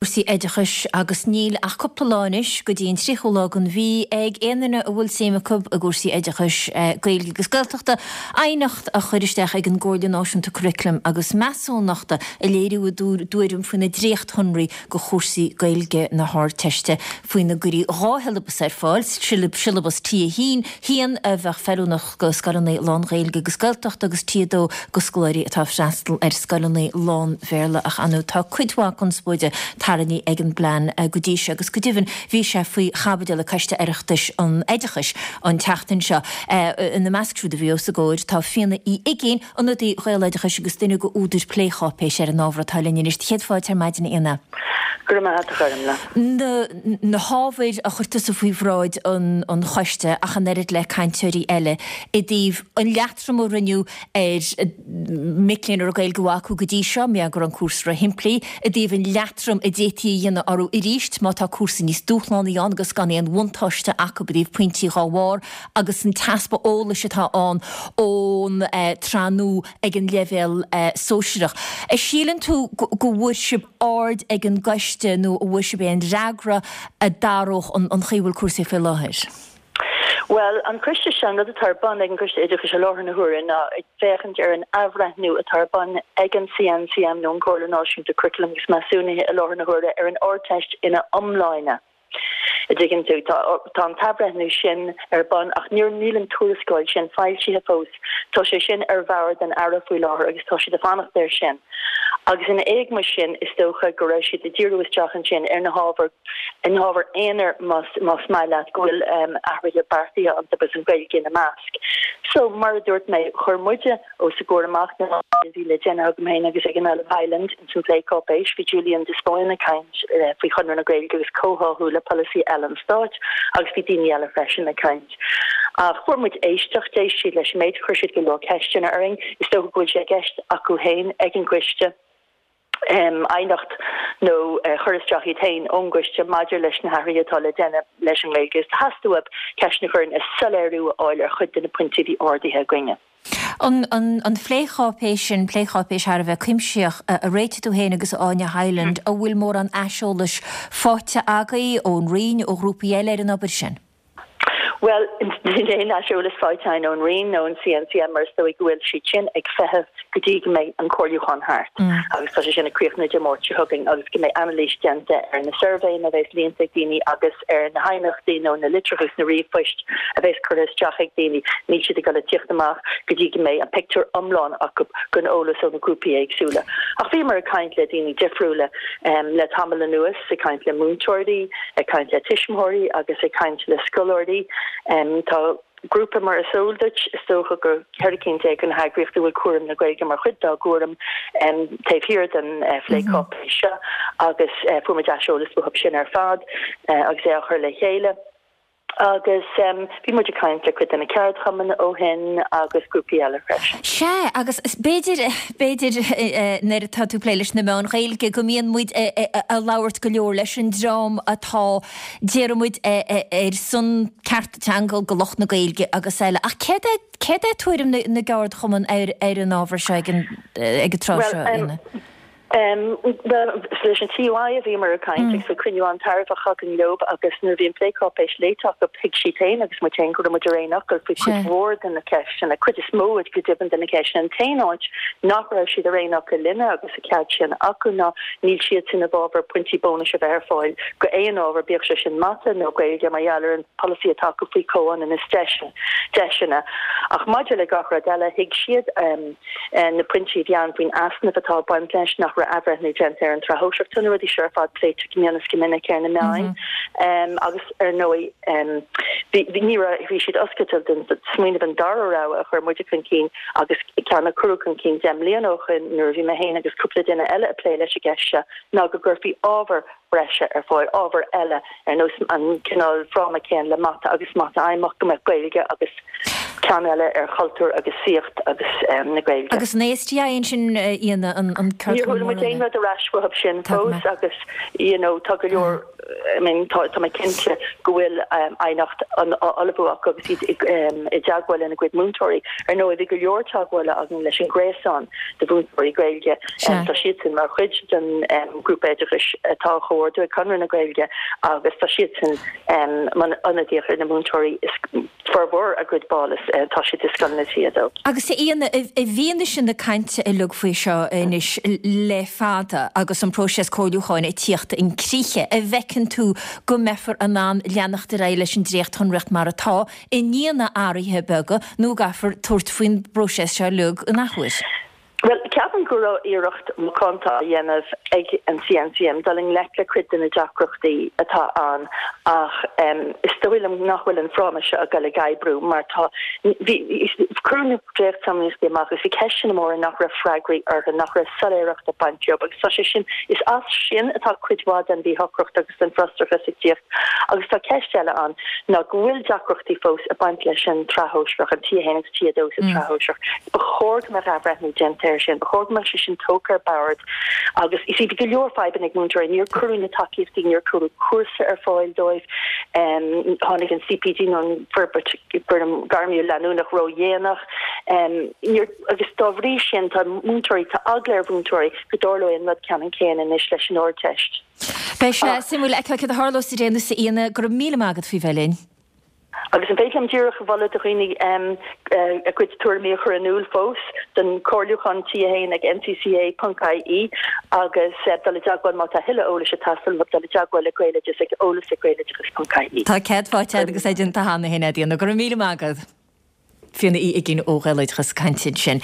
Cúrsaí oideachais agus níl ach cúpla lá anois go dtí an 30ú lá den mhí ag aon duine a bhfuil suim acu i gcúrsaí oideachais, Gaeilge agus Gaeltachta, aighneacht a chur isteach ag an gComhairle Náisiúnta Curaclaim agus Measúnachta ag léiriú a dtuairim faoi na dréachtshonraí do chúrsaí Gaeilge na hArdteiste faoina gcuirfí 2 shiollabas ar fáil, siollabas T1, haon a bheadh feiliúnach do scoileanna lán-Ghaeilge agus Gaeltachta agus T2 do scoláirí atá ag freastal ar scoileanna lán-Bhéarla ach ar ndóigh tá cuid mhaith conspóide tarraingthe ag an bplean go dtí seo agus go deimhin bhí sé faoi chaibidil ag Coiste Oireachtais an Oideachais an tseachtain seo. Ina measc siúd a bhí os a gcomhair tá Fíona Uí Uigínn, ionadaí Ghaeloideachais agus duine de údair plécháipéise ar an ábhar atá linn anois. Céad fáilte ar maidin, a Fhíona. Go raibh maith agat, a Ghormfhlaith. Na hábhair a chuir tusa faoi bhráid an choiste ach an oiread le cainteoirí eile i dtaobh an leatrom a rinneadh ar mhic léinn a raibh Gaeilge mhaith acu go dtí seo, mar go raibh an cúrsa róshimplí, i dtaobh an leatrom a d'fhéadfaí a dhéanamh orthu arís má tá cúrsa níos dúshlánaí ann agus gan aon bhuntáiste acu i dtaobh pointí dhá bharr. agus an t-easpa eolais atá ann ón tsraith nua ag an leibhéal sóisearach. A síleann tú go bhfuair sibh aird ag an gcoiste nó a bhfuair sibh aon fhreagra a d'athródh an chaoi a bhfuil cúrsaí faoi láthair? Bhuel, an coiste seo, an rud atá ar bun ag an gCoiste Oideachais i láthair na huaire ná ag féachaint ar an athbhreithniú atá ar bun ag an CNCM nó an Comhairle Náisiúnta Curaclaim agus Measúnaithe i láthair na huaire ar an Ardteist ina iomláine. A dtuigeann tú, tá, tá an t-athbhreithniú sin ar bun ach níor, níl an tuarascáil sin foilsithe fós. Tá sé sin ar bhord an Aire faoi láthair agus tá siad ag fanacht air sin. Agus ina éagmais sin, is dócha go raibh siad ag díriú isteach ansin ar na hábhair, ar na hábhair aonair más, más maith leat, go bhfuil athruithe beartaithe iontu agus an Ghaeilge ina measc. So, mar a dúirt mé, chuir muide, os a gcomhair amach na rudaí a bhí le déanamh agam féin agus ag an Ollamh Hyland ins an phlécháipéis. Bhí Julian de Spáinn ag caint faoi Chonradh na Gaeilge agus comhtháthú le polasaí eile an stáit agus bhí daoine eile freisin ag caint. Ach fuair muid éisteacht, d'éist siad leis an méid, chuir siad go leor ceisteanna orainn. Is dócha go bhfuil sé i gceist acu féin ag an gcoiste. aighneacht nó chur isteach iad féin ón gcoiste maidir leis na hathruithe atá le déanamh leis an nGaeilge agus theastaigh uathu ceisteanna a chur orainn is soiléiriú a fháil ar chuid de na pointí a bhí ardaithe againne. An phlécháipéis sin, plécháipéis thar a bheith cuimsitheach, a réitigh tú féin agus Áine Hyland, an bhfuil mórán aiseolais faighte agaibh ón Roinn, ó ghrúpaí eile ar an obair sin? Bhuel, níl aon aiseolas faighte againn ón Roinn nó ón CNCM mar is dóigh go bhfuil siad sin ag feitheamh go dtí go mbeidh an comhairliúchán thart agus tá sé sin ag críochnú Dé Máirt seo chugainn agus go mbeidh anailís déanta ar na suirbhéanna a bheas líonta ag daoine agus ar na haighneachtaí nó na litreacha agus na ríomhphoist a bheas curtha isteach ag daoine. Níl siad ag dul a tíocht amach go dtí go mbeidh an pictiúr iomlán acu den eolas ó na grúpaí éagsúla. Ach bhíomar ag caint le daoine difriúla le tamall anuas, ag caint le múinteoirí, ag caint le tuismitheoirí agus ag caint le scoláirí. Tá grúpa, mar is eol duit, is dócha gur 14 cinn de na heagraíochtaí a bhfuil cúram na Gaeilge mar chuid dá gcúram taobh thiar den phlécháipéis seo agus fuair muid aiseolas uathu sin ar fad agus é á chur le chéile. Agus bhí muid ag caint le cuid de na ceardchumainn ó shin agus grúpaí eile freisin. Sea, agus b'fhéidir, b'fhéidir nuair atá tú ag plé leis na meáin Ghaeilge go mbíonn muid ag labhairt go leor leis an dream atá, déarfaidh muid, ar son cearta teanga do lucht na Gaeilge agus eile. Ach céard é, céard é tuairim na gceardchumann ar an ábhar seo ag an, ag an tráth seo, Fhíona? Bhuel, leis an TUI a bhíomar ag caint agus bhí cruinniú an-tairbheach againn leo agus nuair a bhí an phlécháipéis léite acu thuig siad féin agus muid féin go raibh muid ar aon fhocal faoi chuid mhór de na ceisteanna, cuid is mó go deimhin de na ceisteanna. An t-aon áit nach raibh siad ar aon fhocal linne agus a cead sin acu ná níl siadsan i bhfabhar pointí bónais a bheith ar fáil go aon ábhar, bíodh sé sin mata nó Gaeilge, mar gheall ar an polasaí atá acu faoi chomhionannas deiseanna. Ach maidir le gach rud eile, thuig siad. na pointí a bhí ann faoin easnamh atá ag baint leis, nach raibh athbhreithniú déanta ar an tsraith shóisearach. Tá na rudaí seo ar fad pléite go mion is go minic ar na meáin agus ar ndóigh bhí ní raibh bhí siad oscailte don smaoineamh an dara rogha a chuir muide chun cinn agus ceann a cuireadh chun cinn 10 mbliana ó shin nuair a bhí mé féin agus cúpla duine eile ag plé leis an gceist seo ná go gcuirfí ábhar breise ar fáil, ábhar eile ar nós an cineál fráma céanna le mata agus mata fheidhmeach, go mbeadh Gaeilge agus. Ceann eile ar chultúr agus saíocht agus na Gaeilge. Agus an ASTI ansin, a Fhíona, an ceardchumann mór eile? Níor chuala muid aon rud ar ais uathu sin fós agus you know tá go leor, I mean tá tá mé cinnte go bhfuil aighneacht á ullmhú acu agus iad i dteagmháil lena gcuid múinteoirí. Ar ndóigh bhí go leor teagmhála againn leis an Ghréasán de Mhúinteoirí Gaeilge, tá siadsan mar chuid den ghrúpa oideachais atá á chomhordú ag Conradh na Gaeilge agus tá siadsan ionadaíoch ar na múinteoirí is formhór a gcuid ball is tá siad i scoileanna T2. Agus a Fhíona, i bhfianaise na cainte uilig faoi seo anois le fada agus an próiseas comhairliúcháin ag tíocht chun críche, an bhfeiceann tú go mbeifear in ann leanacht ar aghaidh leis an dréachtshonraíocht mar atá, i ndiaidh na n-athruithe beaga, nó an gcaithfear tabhairt faoin bpróiseas seo uilig in athuair? Bhuel, ceapaim go raibh iarracht mhacánta á dhéanamh ag an CNCM dul i ngleic le cuid de na deacrachtaí atá ann ach is dóigh liom nach bhfuil an fráma seo ag dul ag oibriú mar tá, bhí, cuireadh na dréachtsonraíochtaí amach agus bhí ceisteanna móra nach raibh freagraí orthu, nach raibh soiléireacht ag baint leo agus tá sé sin, is as sin atá cuid mhaith den mhíshocracht agus den bhfrustrachas ag tíocht. Agus tá ceist eile ann ná go bhfuil deacrachtaí fós ag baint leis an tsraith shóisearach, an T1 agus T2 sa tsraith shóisearach. Ba chóir go mbeadh athbhreithniú déanta air sin, ba chóir go mbeadh sé sin tógtha ar bord agus you see bhí go leor fadhbanna ag múinteoirí, níor cuireadh na tacaíochtaí, níor cuireadh cúrsa ar fáil dóibh, tháinig an CPD nó an forbairt gairmiúil leanúnach ródhéanach, níor, agus dá bhrí sin tá múinteoirí, tá eagla ar mhúinteoirí go dtarlóidh an rud ceannann céanna anois leis an Ardteist. Beidh sé suimiúil a fheiceáil céard a tharlós ar aon nós a Fhíona, go raibh míle maith agat faoi bheith linn. Agus an féidir liom díreach a mholadh do dhaoine a gcuid tuairimí a chur in iúl fós don chomhairliúchán T1 ag ncca.ie agus dul i dteagmháil má tá thuilleadh eolais ag teastáil uathu, dul i dteagmháil le Gaeloideas ag eolas ag gaeloideachas.ie. Tá cead faighte agat agus é déanta cheana féin, a Fhíona. Go raibh míle maith agat. Fiona Uí Uiginn ó Ghaeloideachas ag caint ansin.